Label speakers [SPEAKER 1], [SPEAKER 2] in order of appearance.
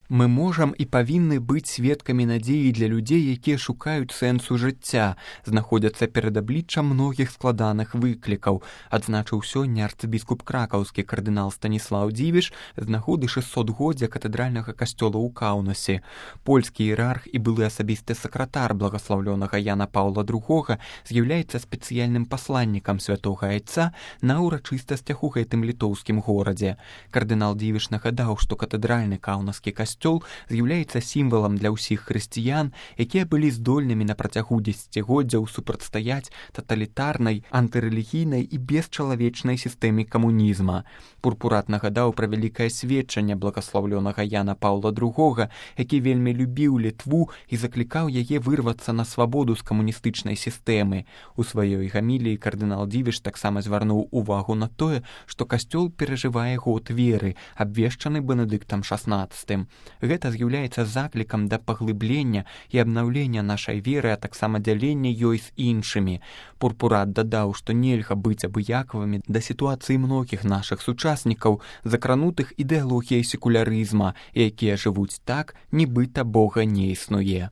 [SPEAKER 1] Мы можам і павінны быць сведкамі надзеі для людзей, якія шукаюць сэнсу жыцця, знаходзяцца перад абліччам многіх складаных выклікаў, адзначыў сёння арцыбіскуп кракаўскі кардынал Станіслаў Дзівіш з нагоды 600годдзя катэдральнага касцёла ў Каўнасе. Польскі іерарх і былы асабісты сакратар благаслаўлёнага Яна Паўла II з'яўляецца спецыяльным пасланнікам святога айца на ўрачыстасцях у гэтым літоўскім горадзе. Кардынал Дзівіш нагадаў, што катэдральны каўнаскі касцёл з'яўляецца сімвалам для ўсіх хрысціян, якія былі здольнымі на працягу дзесяцігоддзяў супрацьстаяць таталітарнай, антырэлігійнай і бесчалавечнай сістэме камунізма. Пурпурат нагадаў пра вялікае сведчанне благаслаўлёнага Яна Паўла II, які вельмі любіў Літву і заклікаў яе вырвацца на свабоду з камуністычнай сістэмы. У сваёй гаміліі кардынал Дзівіш таксама звярнуў увагу на тое, што касцёл перажывае год веры, абвешчаны Бенедыктам XVI. Гэта з'яўляецца заклікам да паглыблення і абнаўлення нашай веры, а таксама дзялення ёй з іншымі. Пурпурат дадаў, што нельга быць абыякавымі да сітуацыі многіх нашых сучаснікаў, закранутых ідэалогіяй секулярызма, якія жывуць так, нібыта Бога не існуе.